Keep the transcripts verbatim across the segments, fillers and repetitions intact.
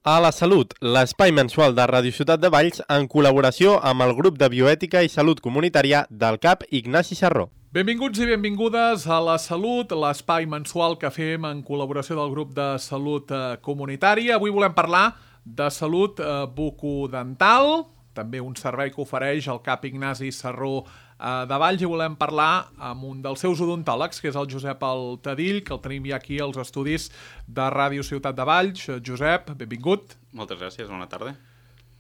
A la Salut, l'espai mensual de Ràdio Ciutat de Valls en col·laboració amb el grup de Bioètica i Salut Comunitària del C A P Ignasi Sarró. Benvinguts i benvingudes a La Salut, l'espai mensual que fem en col·laboració del grup de Salut Comunitària. Avui volem parlar de salut bucodental, també un servei que ofereix el C A P Ignasi Sarró de Valls, i volem parlar amb un dels seus odontòlegs, que és el Josep Altadill, que el tenim ja aquí als estudis de Ràdio Ciutat de Valls. Josep, benvingut. Moltes gràcies, bona tarda.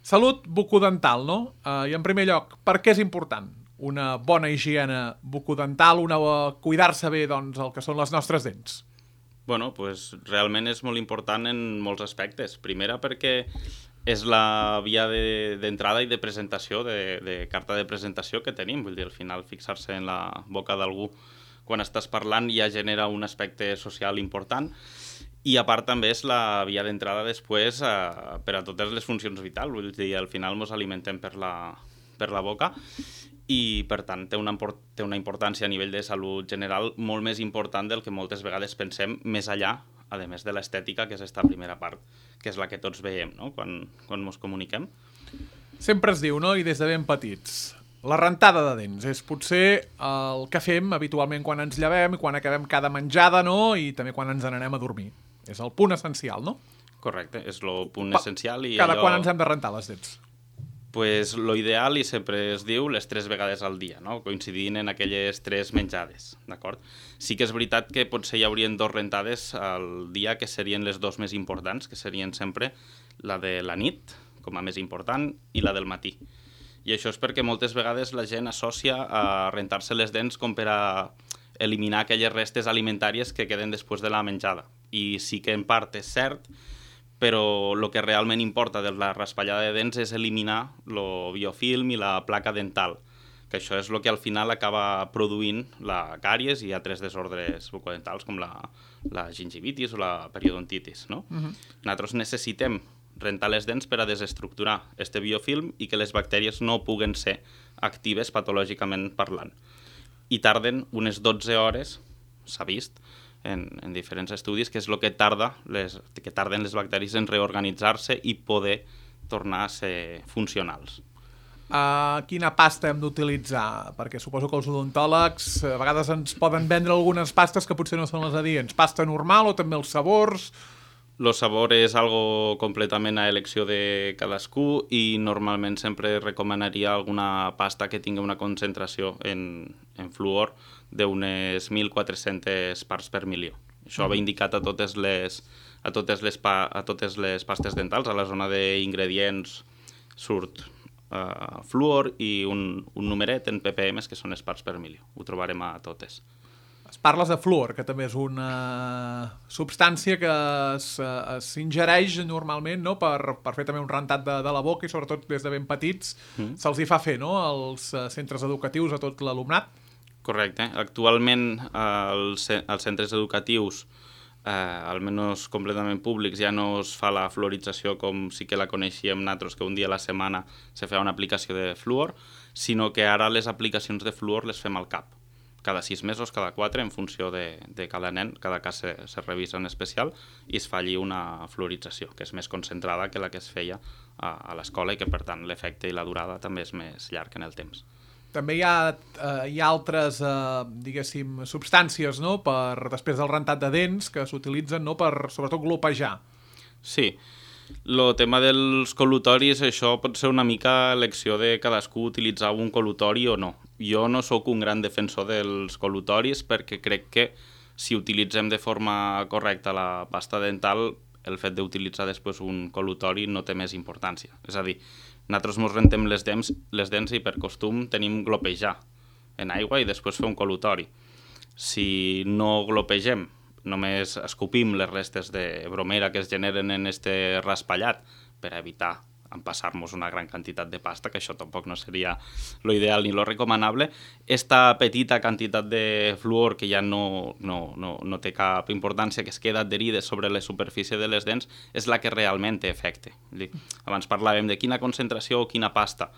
Salut bucodental, no? Uh, I en primer lloc, per què és important una bona higiene bucodental, una cuidar-se bé, doncs, el que són les nostres dents? Bueno, pues realment és molt important en molts aspectes. Primera perquè és la via d'entrada de, i de presentació, de, de carta de presentació que tenim. Vull dir, al final fixar-se en la boca d'algú quan estàs parlant ja genera un aspecte social important, i a part també és la via d'entrada després eh, per a totes les funcions vitals. Vull dir, al final ens alimentem per la, per la boca, i per tant té una, té una importància a nivell de salut general molt més important del que moltes vegades pensem, més allà, a més de l'estètica, que és esta primera part, que és la que tots veiem, no?, quan, quan ens comuniquem. Sempre es diu, no?, i des de ben petits, la rentada de dents és potser el que fem habitualment quan ens llevem i quan acabem cada menjada, no?, i també quan ens n'anem a dormir. És el punt essencial, no? Correcte, és el punt Pa essencial. I cada allò... quan ens hem de rentar les dents? Pues lo ideal, i sempre es diu, les tres vegades al dia, no?, coincidint en aquelles tres menjades, d'acord? Sí que és veritat que potser hi haurien dos rentades al dia que serien les dos més importants, que serien sempre la de la nit, com a més important, i la del matí. I això és perquè moltes vegades la gent associa a rentar-se les dents com per a eliminar aquelles restes alimentàries que queden després de la menjada. I sí que en part és cert, però el que realment importa de la raspallada de dents és eliminar el biofilm i la placa dental, que això és el que al final acaba produint la càries i altres desordres bucodentals com la, la gingivitis o la periodontitis, no? Uh-huh. Nosaltres necessitem rentar les dents per a desestructurar este biofilm i que les bactèries no puguen ser actives patològicament parlant. I tarden unes dotze hores, s'ha vist, En, en diferents estudis, que és el que, tarda les, que tarden les bacteris en reorganitzar-se i poder tornar a ser funcionals. Uh, quina pasta hem d'utilitzar? Perquè suposo que els odontòlegs a vegades ens poden vendre algunes pastes que potser no són les adients. Pasta normal o també els sabors? El sabor és algo completament a elecció de cadascú, i normalment sempre recomanaria alguna pasta que tingui una concentració en, en fluor d'unes mil quatre-centes parts per milió. Això va indicat a totes les, a totes les, pa, a totes les pastes dentals. A la zona d'ingredients surt uh, fluor i un, un numeret en ppm, que són les parts per milió. Ho trobarem a totes. Parles de fluor, que també és una substància que s'ingereix normalment, no?, per, per fer també un rentat de, de la boca, i sobretot des de ben petits mm. se'ls hi fa fer, no?, als centres educatius a tot l'alumnat. Correcte. Actualment als, als centres educatius, eh, almenys completament públics, ja no es fa la fluorització com sí que la coneixíem nosaltres, que un dia a la setmana se feia una aplicació de fluor, sinó que ara les aplicacions de fluor les fem al cap. Cada sis mesos, cada quatre, en funció de, de cada nen, cada cas se, se revisa en especial i es fa allí una fluorització, que és més concentrada que la que es feia a, a l'escola, i que per tant l'efecte i la durada també és més llarg en el temps. També hi ha, eh, hi ha altres, eh, diguéssim, substàncies, no?, per després del rentat de dents, que s'utilitzen, no?, per sobretot glopejar. Sí. El tema dels col·lutoris, això pot ser una mica elecció de cadascú utilitzar un col·lutori o no. Jo no sóc un gran defensor dels col·lutoris perquè crec que si utilitzem de forma correcta la pasta dental, el fet d'utilitzar després un col·lutori no té més importància. És a dir, nosaltres ens rentem les dents, les dents i per costum tenim glopejar en aigua i després fer un col·lutori. Si no glopegem, només escopim les restes de bromera que es generen en este raspallat per evitar empassar-nos una gran quantitat de pasta, que això tampoc no seria lo ideal ni lo recomanable. Esta petita quantitat de fluor que ja no, no, no, no té cap importància, que es queda adherida sobre la superfície de les dents, és la que realment té efecte. Abans parlàvem de quina concentració o quina pasta.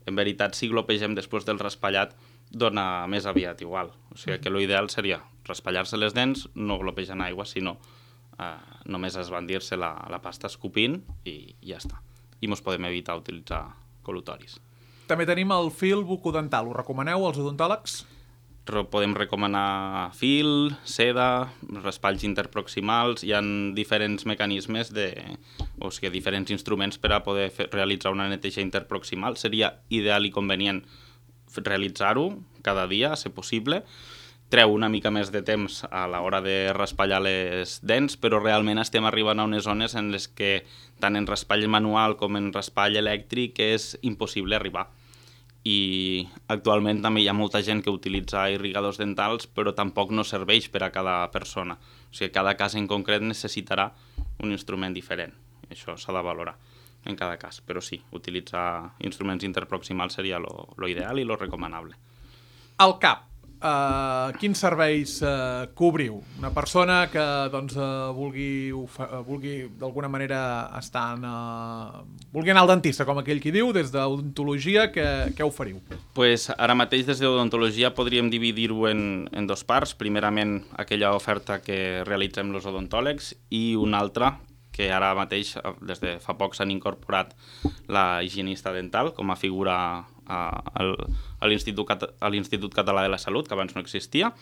En veritat, si glopegem després del raspallat, dona més aviat igual. O sigui que l'ideal seria raspallar-se les dents, no glopejar en aigua, sinó eh, només esbandir-se la, la pasta escopint i ja està. I mos podem evitar utilitzar col·lutoris. També tenim el fil bucodental. Ho recomaneu als odontòlegs? Podem recomanar fil, seda, raspalls interproximals. Hi ha diferents mecanismes, de, o sigui, diferents instruments per a poder fer, realitzar una neteja interproximal. Seria ideal i convenient realitzar-ho cada dia, a ser possible. Treu una mica més de temps a l'hora de raspallar les dents, però realment estem arribant a unes zones en les que tant en raspall manual com en raspall elèctric és impossible arribar. I actualment també hi ha molta gent que utilitza irrigadors dentals, però tampoc no serveix per a cada persona. O sigui, cada cas en concret necessitarà un instrument diferent. Això s'ha de valorar en cada cas. Però sí, utilitzar instruments interproximals seria lo, lo ideal i lo recomanable. El cap. Uh, quins serveis uh, cobriu? Una persona que doncs, uh, vulgui, uh, vulgui d'alguna manera estar en, uh, vulgui anar al dentista, com aquell qui diu, des d'odontologia, què, què oferiu? Pues ara mateix des d'odontologia podríem dividir-ho en, en dos parts. Primerament, aquella oferta que realitzem els odontòlegs i una altra que ara mateix, des de fa poc, s'han incorporat la higienista dental com a figura a l'Institut Català de la Salut, que abans no existia,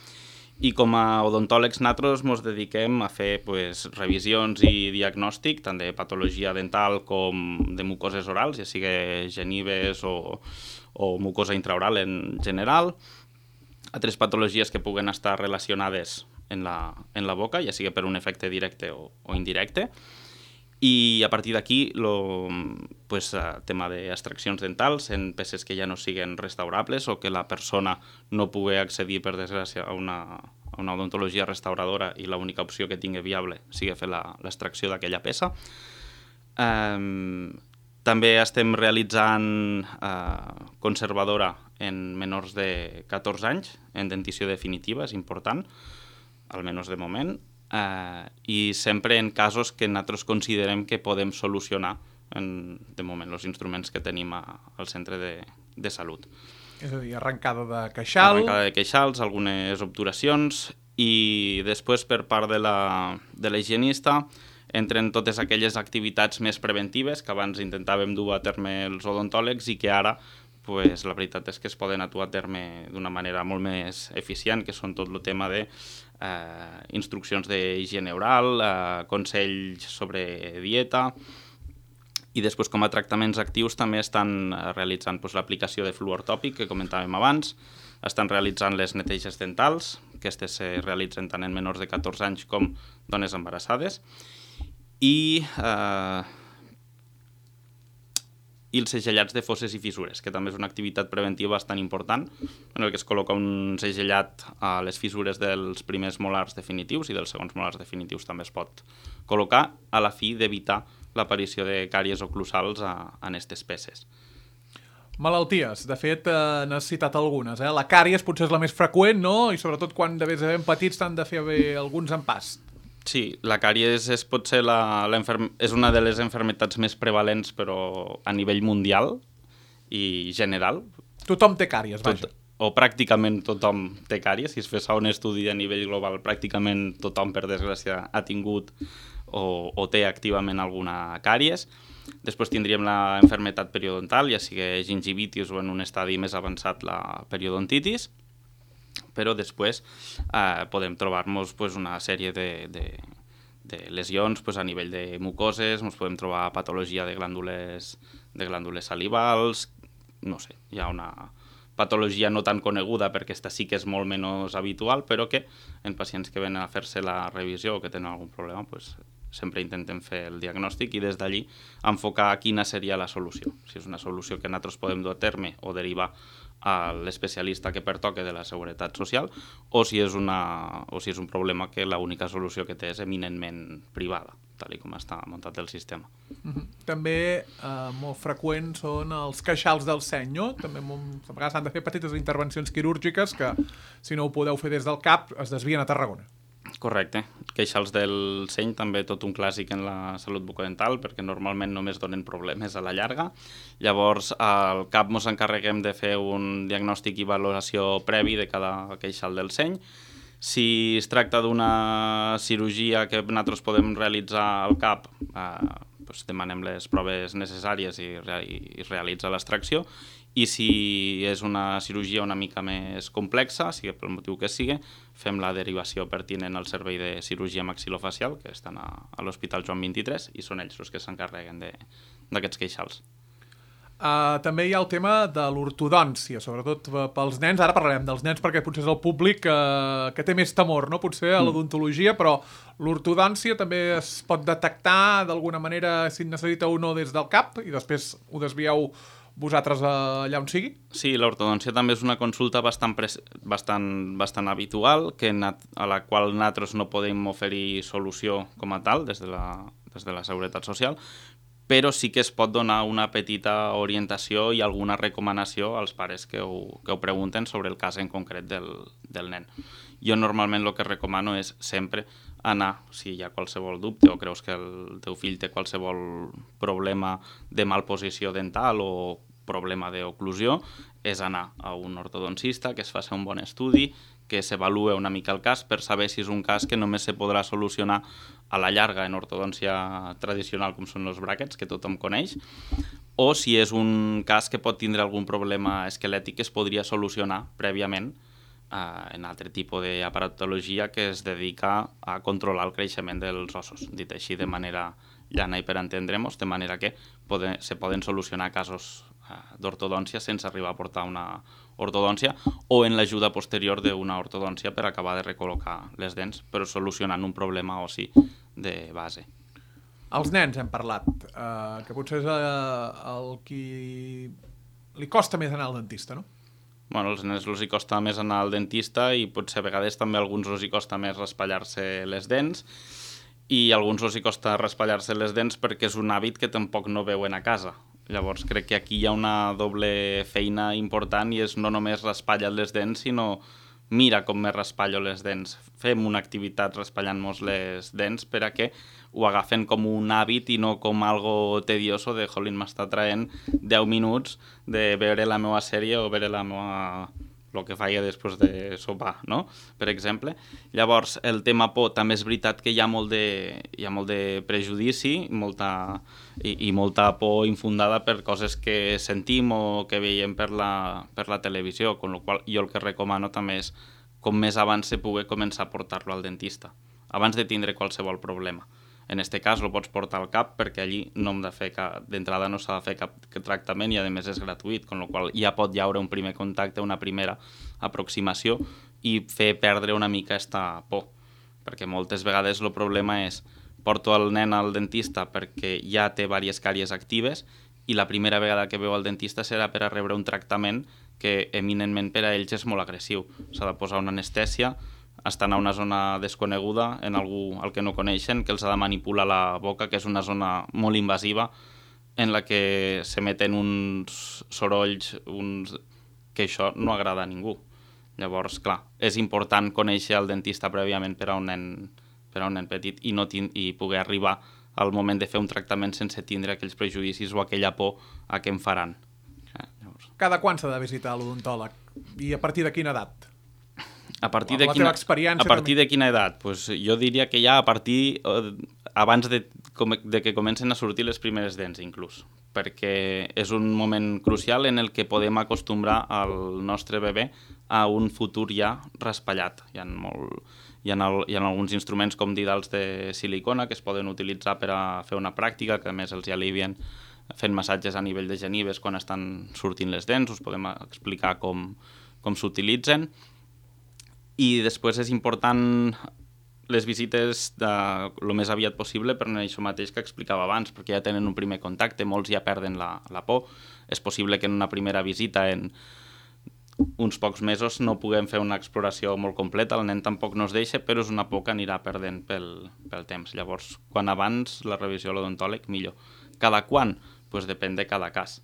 i com a odontòlegs nosaltres ens dediquem a fer pues, revisions i diagnòstic, tant de patologia dental com de mucoses orals, ja sigui genives o, o mucosa intraoral en general, altres patologies que puguen estar relacionades en la, en la boca, ja sigui per un efecte directe o, o indirecte. I a partir d'aquí, el pues, tema d'extraccions dentals en peces que ja no siguen restaurables o que la persona no pugui accedir, per desgràcia, a una, a una odontologia restauradora i l'única opció que tingui viable sigui fer l'extracció d'aquella peça. Um, també estem realitzant uh, conservadora en menors de catorze anys, en dentició definitiva, és important, almenys de moment. Uh, i sempre en casos que nosaltres considerem que podem solucionar en, de moment els instruments que tenim a, al centre de, de salut. És a dir, arrencada de queixal... Arrencada de queixals, algunes obturacions i després per part de la, de la higienista entren totes aquelles activitats més preventives que abans intentàvem dur a terme els odontòlegs i que ara pues, la veritat és que es poden atuar a terme d'una manera molt més eficient, que són tot el tema de eh, instruccions d'higiene oral, eh, consells sobre dieta, i després com a tractaments actius també estan realitzant pues, l'aplicació de fluor tòpic que comentàvem abans, estan realitzant les neteges dentals, que aquestes se realitzen tant en menors de catorze anys com dones embarassades, i... Eh, i els segellats de fosses i fissures, que també és una activitat preventiva bastant important, en el que es col·loca un segellat a les fissures dels primers molars definitius i dels segons molars definitius també es pot col·locar a la fi d'evitar l'aparició de càries oclusals a, en aquestes peces. Malalties, de fet, eh, n'has citat algunes. Eh? La càries potser és la més freqüent, no? I sobretot quan de ben petits t'han de fer bé alguns empast. Sí, la càries és, pot ser la, la és una de les malalties més prevalents, però a nivell mundial i general. Tothom té càries, vaja. Tot, o pràcticament tothom té càries. Si es fes un estudi a nivell global, pràcticament tothom, per desgràcia, ha tingut o, o té activament alguna càries. Després tindríem la malaltia periodontal, ja sigui gingivitis o en un estadi més avançat la periodontitis. Però després eh, podem trobar-nos pues, una sèrie de, de, de lesions pues, a nivell de mucoses, ens podem trobar patologia de glàndules, de glàndules salivals, no sé, hi ha una patologia no tan coneguda perquè aquesta sí que és molt menys habitual, però que en pacients que venen a fer-se la revisió o que tenen algun problema, pues, sempre intentem fer el diagnòstic i des d'allí enfocar quina seria la solució. Si és una solució que nosaltres podem dur a terme o derivar a l'especialista que pertoque de la Seguretat Social o si és, una, o si és un problema que l'única solució que té és eminentment privada, tal com està muntat el sistema. Mm-hmm. També eh, molt freqüents són els queixals del seny, no? També molt, a vegades s'han de fer petites intervencions quirúrgiques que, si no ho podeu fer des del cap, es desvien a Tarragona. Correcte. Queixals del seny, també tot un clàssic en la salut bucodental, perquè normalment només donen problemes a la llarga. Llavors, al cap ens encarreguem de fer un diagnòstic i valoració previ de cada queixal del seny. Si es tracta d'una cirurgia que nosaltres podem realitzar al cap, eh, doncs demanem les proves necessàries i, i, i realitza l'extracció. I si és una cirurgia una mica més complexa, sigui pel motiu que sigui, fem la derivació pertinent al servei de cirurgia maxilofacial, que estan a, a l'Hospital Joan vint-i-tres, i són ells els que s'encarreguen d'aquests queixals. Uh, també hi ha el tema de l'ortodòncia, sobretot pels nens. Ara parlarem dels nens perquè potser és el públic uh, que té més temor, no? Potser a l'odontologia, però l'ortodòncia també es pot detectar d'alguna manera si necessita o no des del cap i després ho desvieu vosaltres allà on sigui? Sí, l'ortodòncia també és una consulta bastant, bastant, bastant habitual, que a la qual nosaltres no podem oferir solució com a tal des de la, des de la Seguretat Social, però sí que es pot donar una petita orientació i alguna recomanació als pares que ho, que ho pregunten sobre el cas en concret del, del nen. Jo normalment el que recomano és sempre anar, si hi ha qualsevol dubte o creus que el teu fill té qualsevol problema de malposició dental o problema d'oclusió, és anar a un ortodoncista, que es faci un bon estudi, que s'avalue una mica el cas per saber si és un cas que només se podrà solucionar a la llarga en ortodòncia tradicional, com són els bràquets, que tothom coneix, o si és un cas que pot tindre algun problema esquelètic que es podria solucionar prèviament eh, en altre tipus d'aparatologia que es dedica a controlar el creixement dels ossos, dit així de manera llana i per entendre'ns, de manera que poden, se poden solucionar casos d'ortodòncia sense arribar a portar una ortodòncia o en l'ajuda posterior d'una ortodòncia per acabar de recol·locar les dents, però solucionant un problema ossi de base. Els nens hem parlat, eh, que potser és eh, el qui li costa més anar al dentista, no? Bueno, als nens els hi costa més anar al dentista i potser a vegades també a alguns els hi costa més raspallar-se les dents i a alguns els hi costa raspallar-se les dents perquè és un hàbit que tampoc no veuen a casa. Llavors crec que aquí hi ha una doble feina important i és no només raspallar les dents, sinó mira com me raspallo les dents. Fem una activitat raspallant-nos les dents per a que ho agafen com un hàbit i no com algo tedioso de, jolín, m'està traient deu minuts de veure la meva sèrie o veure la meva... el que faia després de sopar, no? Per exemple. Llavors, el tema por, també és veritat que hi ha molt de, hi ha molt de prejudici molta, i, i molta por infundada per coses que sentim o que veiem per la, per la televisió, amb la qual jo el que recomano també és com més abans se pugui començar a portar-lo al dentista, abans de tindre qualsevol problema. En aquest cas el pots portar al cap perquè allí no hem de fer cap, d'entrada no s'ha de fer cap tractament i a més és gratuït, amb la qual ja pot llaure un primer contacte, una primera aproximació i fer perdre una mica aquesta por. Perquè moltes vegades el problema és porto el nen al dentista perquè ja té diverses càries actives i la primera vegada que veu al dentista serà per a rebre un tractament que eminentment per a ells és molt agressiu. S'ha de posar una anestèsia, estan a una zona desconeguda, en algú al que no coneixen, que els ha de manipular la boca, que és una zona molt invasiva, en la que se meten uns sorolls uns... que això no agrada a ningú. Llavors, clar, és important conèixer el dentista prèviament per a un nen, per a un nen petit i, no tin... i poder arribar al moment de fer un tractament sense tindre aquells prejudicis o aquella por a què em faran. Eh, llavors... Cada quan s'ha de visitar l'odontòleg? I a partir de quina edat? A partir de quina, a partir de quina edat? Pues jo diria que ja a partir, eh, abans de, de que comencen a sortir les primeres dents, inclús, perquè és un moment crucial en el que podem acostumbrar al nostre bebè a un futur ja raspallat. Hi ha, molt, hi ha, el, hi ha alguns instruments com didals de silicona que es poden utilitzar per a fer una pràctica, que a més els alivien fent massatges a nivell de genives quan estan sortint les dents, us podem explicar com, com s'utilitzen. I després és important les visites de lo més aviat possible per això mateix que explicava abans, perquè ja tenen un primer contacte, molts ja perden la, la por. És possible que en una primera visita, en uns pocs mesos, no puguem fer una exploració molt completa, el nen tampoc no es deixa, però és una por que anirà perdent pel, pel temps. Llavors, quan abans la revisió a l'odontòleg, millor. Cada quan? Pues depèn de cada cas.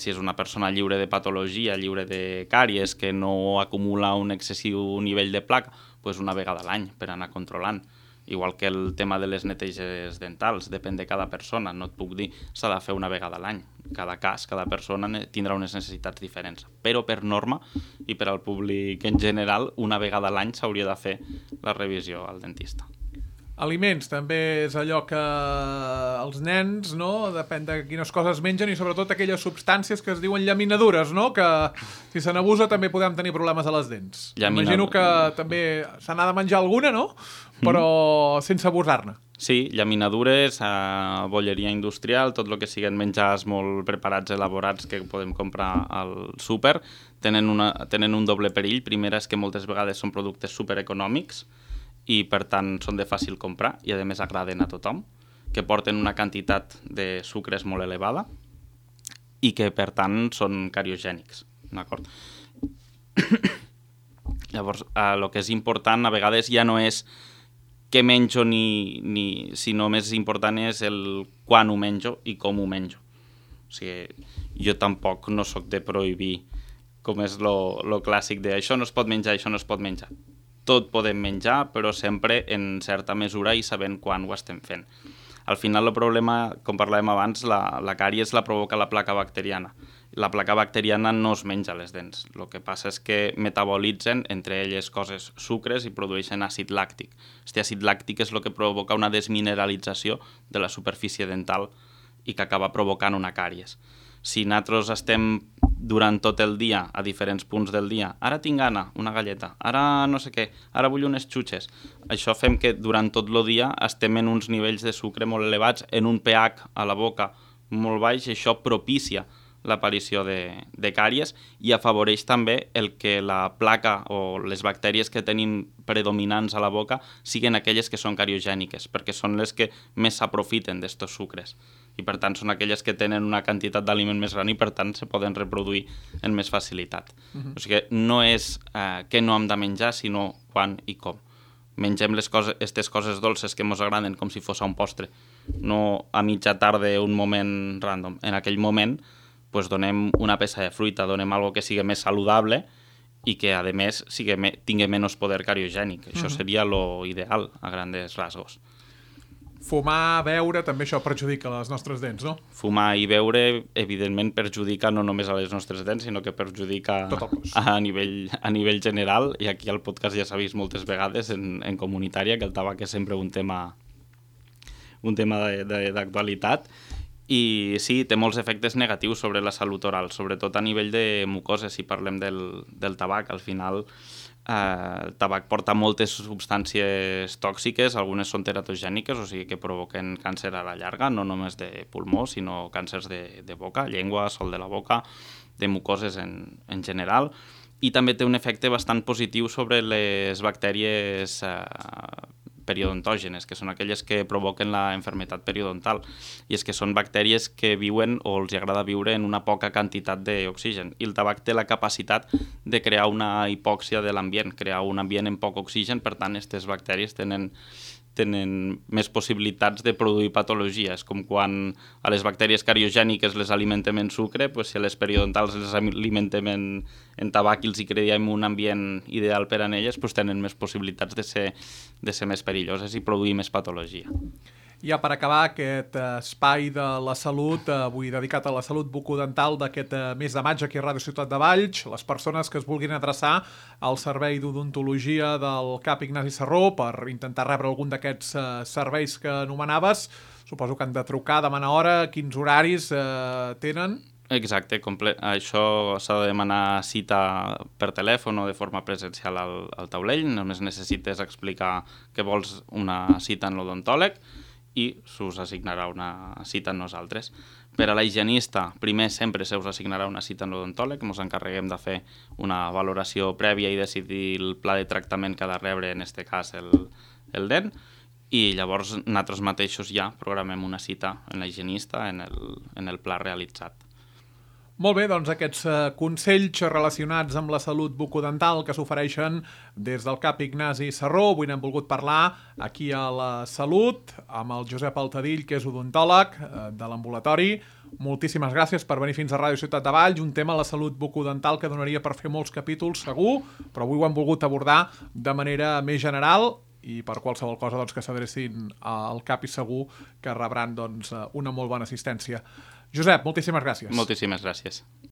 Si és una persona lliure de patologia, lliure de càries, que no acumula un excessiu nivell de placa, doncs una vegada a l'any per anar controlant. Igual que el tema de les neteges dentals, depèn de cada persona, no et puc dir s'ha de fer una vegada a l'any. Cada cas, cada persona tindrà unes necessitats diferents. Però per norma i per al públic en general, una vegada a l'any s'hauria de fer la revisió al dentista. Aliments, també és allò que els nens, no?, depèn de quines coses mengen i sobretot aquelles substàncies que es diuen llaminadures, no?, que si se n'abusa també podem tenir problemes a les dents. Llaminad... Imagino que també se n'ha de menjar alguna, no?, però mm. sense abusar-ne. Sí, llaminadures, eh, bolleria industrial, tot el que siguen menjars molt preparats, elaborats que podem comprar al súper, tenen, una, tenen un doble perill. Primera és que moltes vegades són productes supereconòmics i per tant són de fàcil comprar i a més agraden a tothom, que porten una quantitat de sucres molt elevada i que per tant són cariogènics, d'acord? Llavors, el que és important a vegades ja no és què menjo, ni, ni, sinó més important és el quan ho menjo i com ho menjo. O sigui, jo tampoc no sóc de prohibir, com és lo, lo clàssic de això no es pot menjar, això no es pot menjar. Tot podem menjar, però sempre en certa mesura i sabent quan ho estem fent. Al final, el problema, com parlàvem abans, la, la càries la provoca la placa bacteriana. La placa bacteriana no es menja les dents. El que passa és que metabolitzen, entre elles coses, sucres i produeixen àcid làctic. Aquest àcid làctic és el que provoca una desmineralització de la superfície dental i que acaba provocant una càries. Si nosaltres estem durant tot el dia, a diferents punts del dia, ara tinc gana, una galleta, ara no sé què, ara vull unes xutxes. Això fem que durant tot el dia estem en uns nivells de sucre molt elevats, en un pH a la boca molt baix, i això propicia l'aparició de, de càries i afavoreix també el que la placa o les bactèries que tenim predominants a la boca siguin aquelles que són cariogèniques, perquè són les que més s'aprofiten d'estos sucres. I per tant són aquelles que tenen una quantitat d'aliment més gran i per tant se poden reproduir amb més facilitat. Uh-huh. O sigui, no és eh, què no hem de menjar, sinó quan i com. Mengem les coses, aquestes coses dolces que ens agraden com si fos un postre, no a mitja tarda un moment random. En aquell moment pues, donem una peça de fruita, donem algo que sigui més saludable i que a més sigui, tingui menys poder cariogènic. Això uh-huh. seria lo ideal a grandes rasgos. Fumar, beure, també això perjudica les nostres dents, no? Fumar i beure, evidentment, perjudica no només a les nostres dents, sinó que perjudica a nivell, a nivell general, i aquí al podcast ja s'ha vist moltes vegades en, en comunitària, que el tabac és sempre un tema, un tema d'actualitat, i sí, té molts efectes negatius sobre la salut oral, sobretot a nivell de mucoses, si parlem del, del tabac. Al final, eh, el tabac porta moltes substàncies tòxiques, algunes són teratogèniques, o sigui que provoquen càncer a la llarga, no només de pulmó, sinó càncers de, de boca, llengua, sol de la boca, de mucoses en, en general, i també té un efecte bastant positiu sobre les bactèries eh, periodontògenes, que són aquelles que provoquen la malaltia periodontal, i és que són bactèries que viuen o els agrada viure en una poca quantitat d'oxigen, i el tabac té la capacitat de crear una hipòxia de l'ambient, crear un ambient amb poc oxigen, per tant, aquestes bactèries tenen tenen més possibilitats de produir patologies, com quan a les bactèries cariogèniques les alimentem en sucre, doncs si a les periodontals les alimentem en, en tabac i els hi creiem un ambient ideal per a elles, doncs tenen més possibilitats de ser, de ser més perilloses i produir més patologia. Ja per acabar aquest espai de la salut, avui dedicat a la salut bucodental d'aquest mes de maig aquí a Ràdio Ciutat de Valls, les persones que es vulguin adreçar al servei d'odontologia del C A P Ignasi Serró per intentar rebre algun d'aquests serveis que anomenaves, suposo que han de trucar, demanar hora, quins horaris eh, tenen? Exacte, comple- això s'ha de demanar cita per telèfon o de forma presencial al, al taulell, només necessites explicar que vols una cita en l'odontòleg i s'us assignarà una cita en nosaltres. Per a la higienista, primer sempre se us assignarà una cita en l'odontòleg, ens encarreguem de fer una valoració prèvia i decidir el pla de tractament que ha de rebre, en aquest cas, el, el dent, i llavors nosaltres mateixos ja programem una cita en la higienista en el, en el pla realitzat. Molt bé, doncs aquests consells relacionats amb la salut bucodental que s'ofereixen des del C A P Ignasi Serró. Avui n'hem volgut parlar aquí a la Salut amb el Josep Altadill, que és odontòleg de l'ambulatori. Moltíssimes gràcies per venir fins a Ràdio Ciutat de Valls. Un tema, la salut bucodental, que donaria per fer molts capítols, segur, però avui ho hem volgut abordar de manera més general. i per qualsevol cosa doncs, que s'adrecin al CAP i segur que rebran doncs, una molt bona assistència. Josep, moltíssimes gràcies. Moltíssimes gràcies.